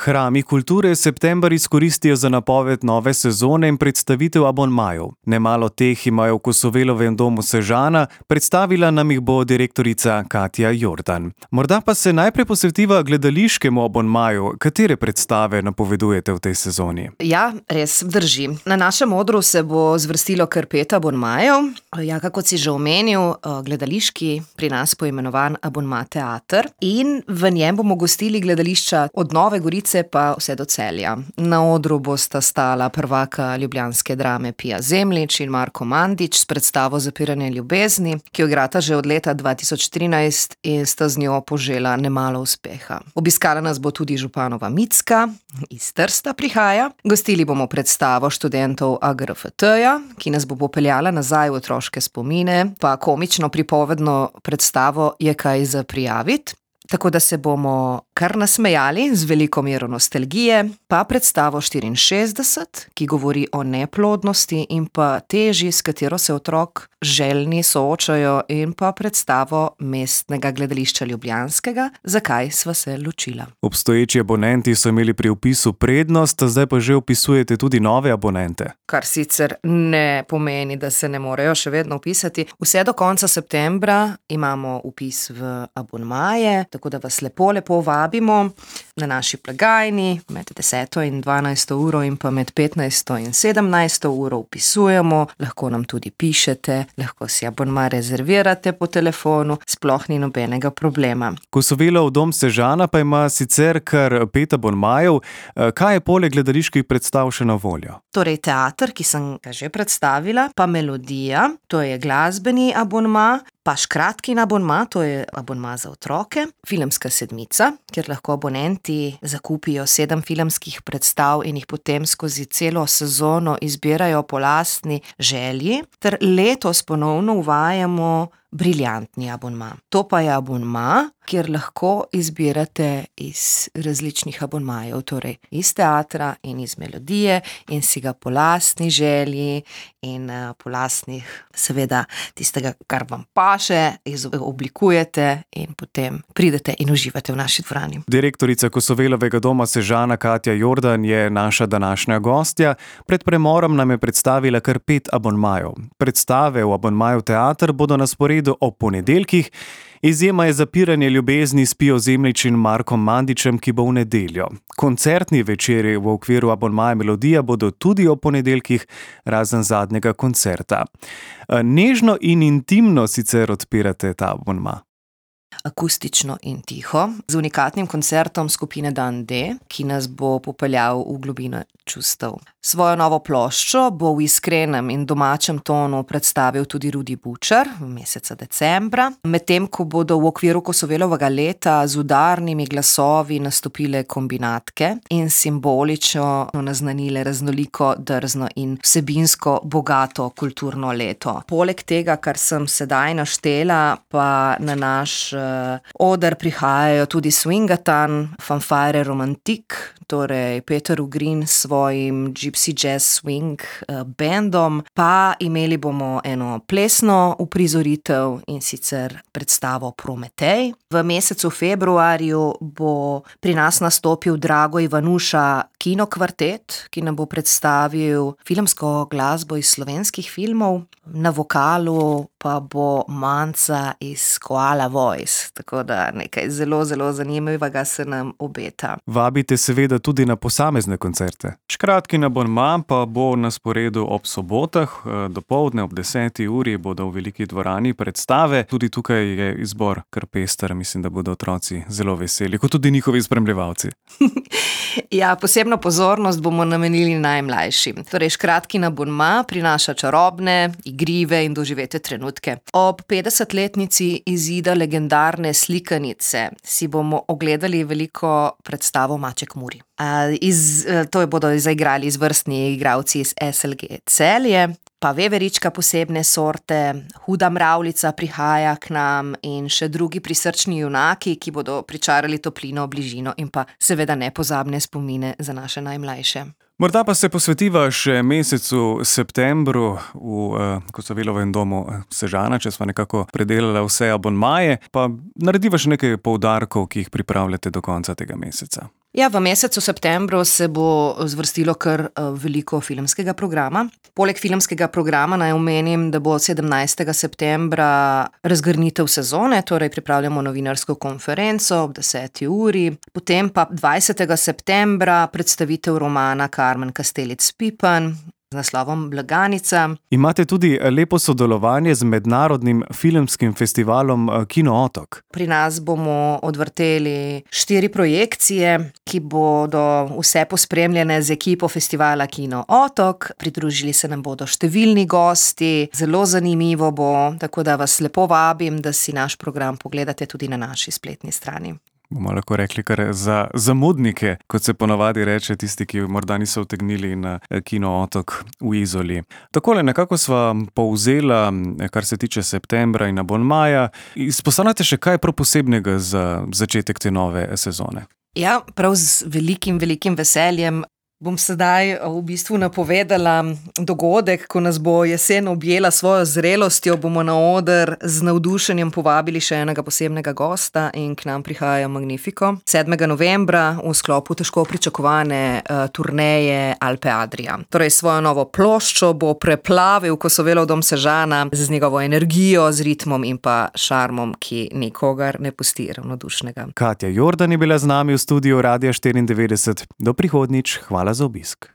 Hrami kulture september izkoristijo za napoved nove sezone in predstavitev abonmajev. Nemalo teh imajo v Kosovelovem domu Sežana, predstavila nam jih bo direktorica Katja Jordan. Morda pa se najprej posvetiva gledališkemu abonmaju. Katere predstave napovedujete v tej sezoni? Ja, res drži. Na našem odru se bo zvrstilo kar 5 abonmajev. Ja, kako si že omenil, gledališki, pri nas poimenovan abonma teater. In v njem bomo gostili gledališča od Nove Gorice pa vse do Celja. Na odru bosta stala prvaka ljubljanske drame Pija Zemljič in Marko Mandić s predstavo Zapiranje ljubezni, ki jo igrata že od leta 2013 in sta z njo požela nemalo uspeha. Obiskala nas bo tudi županova Micka, iz Trsta prihaja. Gostili bomo predstavo študentov AGRFT-ja, ki nas bo popeljala nazaj v otroške spomine, pa komično pripovedno predstavo Je kaj za prijavit. Tako da se bomo kar nasmejali z veliko mero nostalgije, pa predstavo 64, ki govori o neplodnosti in pa teži, s katero se otrok željni soočajo, in pa predstavo Mestnega gledališča ljubljanskega, Zakaj sva se ločila. Obstoječi abonenti so imeli pri vpisu prednost, zdaj pa že vpisujete tudi nove abonente. Kar sicer ne pomeni, da se ne morejo še vedno vpisati. Vse do konca septembra imamo vpis v abonmaje, tako da vas lepo vabimo na naši blagajni med 10. in 12. uro in pa med 15. in 17. uro vpisujemo. Lahko nam tudi pišete, lahko si abonma rezervirate po telefonu, sploh ni nobenega problema. Kosovelov dom Sežana pa ima sicer kar 5 abonmajev. Kaj je poleg gledaliških predstav še na voljo? Torej teater, ki sem ga že predstavila, pa Melodija, to je glasbeni abonma, pa Škratkin abonma, to je abonma za otroke, Filmska sedmica, kjer lahko abonenti zakupijo 7 filmskih predstav in jih potem skozi celo sezono izbirajo po lastni želji, ter letos ponovno uvajamo briljantni abonma. To pa je abonma, kjer lahko izbirate iz različnih abonmajev, torej iz teatra in iz Melodije, in si ga po lastni želji in po lastnih, seveda, tistega, kar vam paše, oblikujete in potem pridete in uživate v naši dvorani. Direktorica Kosovelovega doma Sežana Katja Jordan je naša današnja gostja. Pred premorom nam je predstavila kar 5 abonmajev. Predstave v abonmaju teater bodo na sporedu ob ponedeljkih. Izjema je Zapiranje ljubezni s Pijo Zemljič in Markom Mandićem, ki bo v nedeljo. Koncertni večeri v okviru abonmaja Melodija bodo tudi ob ponedeljkih, razen zadnjega koncerta. Nežno in intimno sicer odpirate ta abonma. Akustično in tiho, z unikatnim koncertom skupine Dan D, ki nas bo popeljal v globino čustev. Svojo novo ploščo bo v iskrenem in domačem tonu predstavil tudi Rudi Bučar meseca decembra, medtem ko bodo v okviru Kosovelovega leta z udarnimi glasovi nastopile kombinatke in simbolično naznanile raznoliko, drzno in vsebinsko bogato kulturno leto. Poleg tega, kar sem sedaj naštela, pa na naš oder prihajajo tudi Swingatan, Fanfare Romantik, torej Peter Ugrin s svojim Gypsy Jazz Swing bandom, pa imeli bomo eno plesno uprizoritev in sicer predstavo Prometej. V mesecu februarju bo pri nas nastopil Drago Ivanuša kinokvartet, ki nam bo predstavil filmsko glasbo iz slovenskih filmov. Na vokalu pa bo Manca iz Koala Voice, tako da nekaj zelo zanimivega se nam obeta. Vabite seveda tudi na posamezne koncerte. Škratkin abonma pa bo na sporedu ob sobotah, dopoldne ob 10. uri bodo v veliki dvorani predstave. Tudi tukaj je izbor kar pester, mislim, da bodo otroci zelo veseli, kot tudi njihovi spremljevalci. Ja, posebno pozornost bomo namenili najmlajšim. Torej, Škratkin abonma prinaša čarobne, igrive in doživete trenutke. Ob 50-letnici izida legendarne slikanice si bomo ogledali veliko predstavo Maček Muri. To bodo zaigrali izvrstni igralci iz SLG Celje, pa veverička posebne sorte, Huda mravljica prihaja k nam in še drugi prisrčni junaki, ki bodo pričarali toplino, bližino in pa seveda nepozabne spomine za naše najmlajše. Morda pa se posvetiva še mesecu septembru v Kosovelovem domu Sežana, če sva nekako predelala vse abonmaje, pa narediva še nekaj poudarkov, ki jih pripravljate do konca tega meseca. Ja, v mesecu septembru se bo zvrstilo kar veliko filmskega programa. Poleg filmskega programa naj omenim, da bo 17. septembra razgrnitev sezone, torej pripravljamo novinarsko konferenco ob 10. uri. Potem pa 20. septembra predstavitev romana Karmen Kastelic-Pipan z naslovom Blaganica. Imate tudi lepo sodelovanje z mednarodnim filmskim festivalom Kino Otok. Pri nas bomo odvrteli 4 projekcije, ki bodo vse pospremljene z ekipo festivala Kino Otok. Pridružili se nam bodo številni gosti, zelo zanimivo bo, tako da vas lepo vabim, da si naš program pogledate tudi na naši spletni strani. Bomo lahko rekli kar za zamudnike, kot se ponavadi reče tisti, ki morda niso utegnili na Kino Otok v Izoli. Takole nekako sva povzela, kar se tiče septembra in abonmaja. Izpostavljate še kaj prav posebnega za začetek te nove sezone? Ja, prav z velikim veseljem. Bom sedaj v bistvu napovedala dogodek, ko nas bo jesen objela svojo zrelostjo, bomo na oder z navdušenjem povabili še enega posebnega gosta in k nam prihaja Magnifico. 7. novembra v sklopu težko pričakovane turneje Alpe Adria. Torej svojo novo ploščo bo preplavil Kosovelov dom Sežana z njegovo energijo, z ritmom in pa šarmom, ki nikogar ne pusti ravnodušnega. Katja Jordan je bila z nami v studiu Radia 94. Do prihodnjič, hvala za obisk.